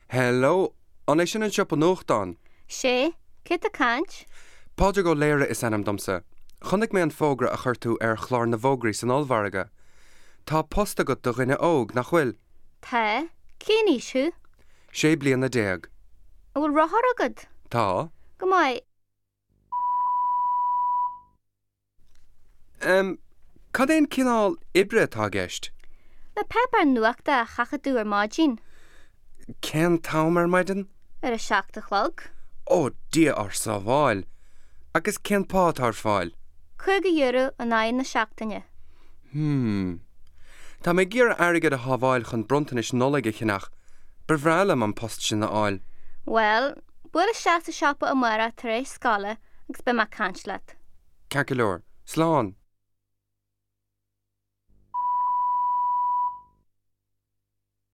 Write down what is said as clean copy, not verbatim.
Hello, an é sin an siopa nuachtán? Sé, cé tá ag caint? Pádraig Ó Laoire is ainm domsa. Chonaic mé an fógra a chuir tú ar chlár na bhfógraí san ollmhargadh. Tá post agat do dhuine óg, nach bhfuil? Tá. Cén aois thú? 16 bliana. An bhfuil rothar agat? Tá. Go maith. Em, cad é an cineál oibre atá i gceist? Na páipéir nuachta a sheachadadh ar maidin. Cén t-am ar maidin? Ar a 7 a chlog. Ó, Dia ár sábháil! Agus cén pá atá ar fáil? €50 in aghaidh na seachtaine. Hmm. Tá mé ag iarraidh airgead a shábháil chun bronntanais Nollag a cheannach. Ba bhreá liom an post sin a fháil. Bhuel, buail isteach sa siopa amárach tar éis scoile agus beidh mé ag caint leat. Ceart go leor. Slán!